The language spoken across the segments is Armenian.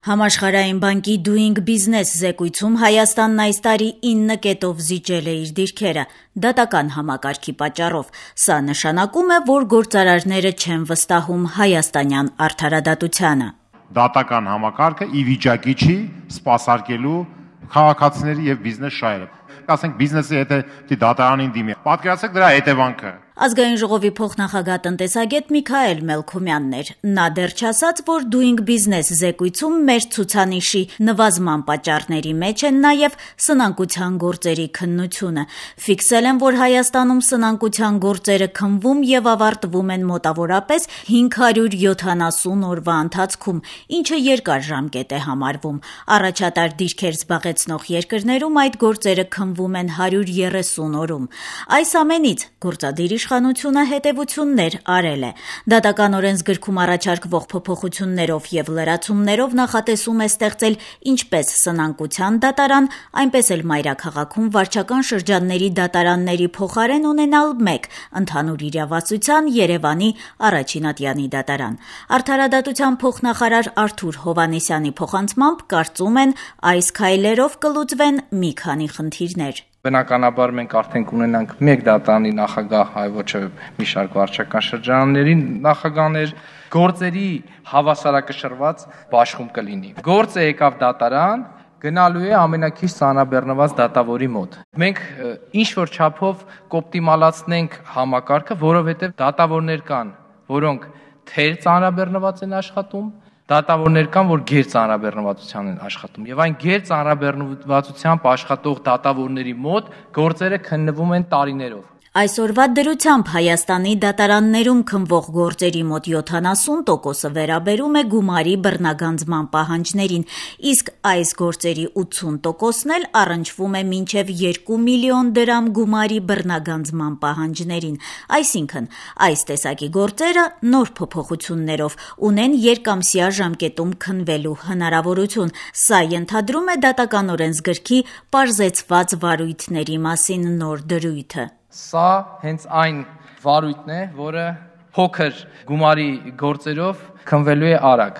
Համաշխարհային բանկի Doing Business զեկույցում Հայաստանն այս տարի 9 կետով զիջել է իր դիրքերը դատական համակարգի պատճառով։ Սա նշանակում է, որ գործարարները չեն վստահում հայաստանյան արդարադատությանը։ Դատական համակարգը ի վիճակի չի սպասարկելու քաղաքացիների եւ բիզնես շահերը։ Ասենք բիզնեսի հետ դատարանին դիմի։ Պատկերացրեք դրա հետևանքը։ Ազգային ժողովի փոխնախագահ տնտեսագետ Միքայել Մելքումյանն էր։ Նա դեռ չասաց, որ Doing Business զեկույցում մեր ցուցանիշի նվազման պատճառների մեջ են նաև սնանկության գործերի քննությունը։ Ֆիքսել են, որ Հայաստանում սնանկության գործերը քննվում եւ ավարտվում են մոտավորապես 570 օրվա ընթացքում, ինչը երկար ժամկետ է համարվում։ Առաջատար դիրքեր զբաղեցնող երկրներում այդ գործերը քննվում են 130 օրում։ Այս ամենից գործադիր իշխանությունը հետևություններ արել է։ Դատական օրենսգրքում առաջարկվող փոփոխություններով եւ լրացումներով նախատեսում է ստեղծել ինչպես սնանկության դատարան, այնպես էլ մայրաքաղաքում վարչական շրջանների դատարանների փոխարեն ունենալ մեկ ընդհանուր իրավասության Երևանի առաջին դատարան։ Արդարադատության փոխնախարար Արթուր Հովհաննիսյանի փոխանցմամբ կարծում են այս քայլերով կլուծվեն մի քանի խնդիրներ։ Բնականաբար մենք արդեն կունենանք մեկ դատարանի նախագահ, այլ ոչ մի շարք վարչական շրջանների նախագահներ, գործերի հավասարակշռված բաշխում կլինի։ Գործը եկավ դատարան, գնալու է ամենակիչ ծանրաբեռնված դատավորի մոտ։ Մենք ինչ-որ չափով կօպտիմալացնենք համակարգը, որովհետև դատավորներ կան, որոնք թեր ծանրաբեռնված են աշխատում, դատավորներ կան, որ գերծանրաբեռնվածության են աշխատում, եւ այն գերծանրաբեռնվածությամբ աշխատող դատավորների մոտ գործերը քննվում են տարիներով։ Այսօրվա դրությամբ Հայաստանի դատարաններում քննվող գործերի մոտ 70%-ը վերաբերում է գումարի բռնագանձման պահանջներին, իսկ այս գործերի 80%-ն էլ առնչվում է մինչև 2 միլիոն դրամ գումարի բռնագանձման պահանջներին։ Այսինքն, այս տեսակի գործերը նոր փոփոխություններով ունեն երկամսյա ժամկետում քննվելու հնարավորություն։ Սա ենթադրում է դատական օրենսգրքի պարզեցված վարույթների մասին նոր դրույթը։ Սա հենց այն վարույթն է, որը փոքր գումարի գործերով քննվելու է արագ։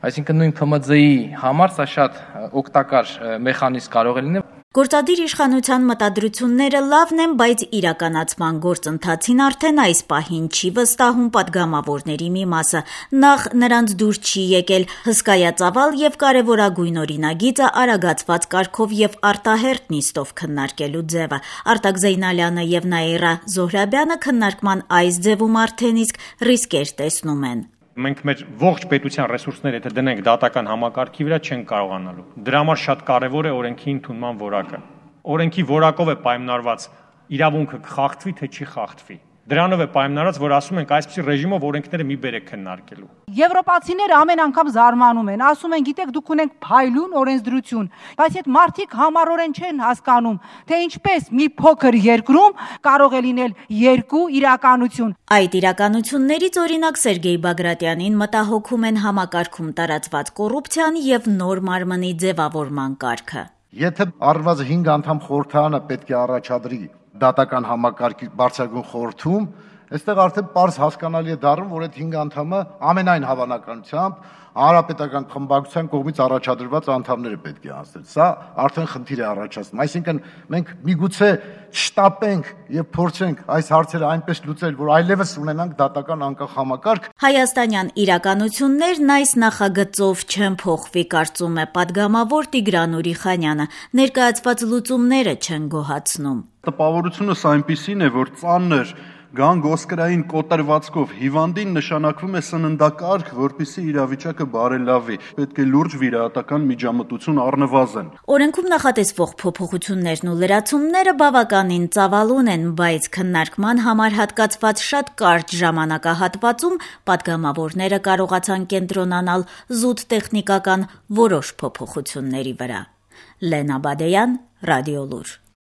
Այսինքն նույն ՓՄԶ-ի համար սա շատ օգտակար մեխանիզմ կարող է լինել։ Գործադիր իշխանության մտադրությունները լավն են, բայց իրականացման գործընթացին արդեն այս պահին չի վստահում падգամավորների մի մասը։ Նախ նրանց դուր չի եկել հսկայածավալ եւ կարեւորագույն օրինագիծը արագացված կարգով եւ արտահերթ նիստով քննարկելու ձևը։ Արտակ Զեյնալյանը եւ Նաիրա Զոհրաբյանը քննարկման այս ձևում արդեն իսկ ռիսկեր տեսնում են։ Մենք մեր ողջ պետության ռեսուրսները եթե դնենք դատական համակարգի վրա չենք կարողանալու։ Դրա համար շատ կարևոր է օրենքի ընդունման որակը։ Օրենքի որակով է պայմանավորված իրավունքը կխախտվի թե չի խախտվի։ Դրանով է պայմանավորված, որ ասում ենք այսպիսի ռեժիմով օրենքները մի բեր է քննարկելու։ Եվրոպացիները ամեն անգամ զարմանում են, ասում են, գիտեք, դուք ունենք փայլուն օրենսդրություն, բայց այդ մարդիկ համառորեն չեն հասկանում, թե ինչպես մի փոքր երկրում կարող է լինել երկու իրականություն։ Այդ իրականություններից օրինակ Սերգեյ Բագրատյանին մտահոգում են համակարգում տարածված կոռուպցիան եւ նոր մարմնի ձևավորման կարգը։ Եթե առնվազն 5 անդամ խորհրդարանը պետք է առաջադրի դատական համակարգի բարձրագույն խորհրդում, այստեղ արդեն պարզ հասկանալի է դառնում, որ այդ 5 անդամը ամենայն հավանականությամբ հանրապետական խմբակցության կողմից առաջադրված անդամները պետք է անցնել։ Սա արդեն խնդիր է առաջացնում։ Այսինքն մենք միգուցե շտապենք եւ փորձենք այս հարցերը այնպես լուծել, որ այլևս ունենանք դատական անկախ համակարգ։ Հայաստանյան իրականություններն այս նախագծով չեն փոխվի, կարծում է падգամավոր Տիգրան Ուրիխանյանը։ Ներկայացված լուծումները չեն գոհացնում։ Տպավորությունս այնպիսին է, որ ծանր գանգոսկրային կոտրվածքով հիվանդին նշանակվում է սննդակարգ, որպեսզի իրավիճակը բարելավի։ Պետք է լուրջ վիրահատական միջամտություն առնվազն։ Օրենքում նախատեսվող փոփոխություններն ու լրացումները բավականին ծավալուն են, բայց քննարկման համար հատկացված շատ կարճ ժամանակահատվածում падգամավորները կարողացան կենտրոնանալ զուտ տեխնիկական որոշ փոփոխությունների վրա։ Լենա Բադեյան, Ռադիոլուր։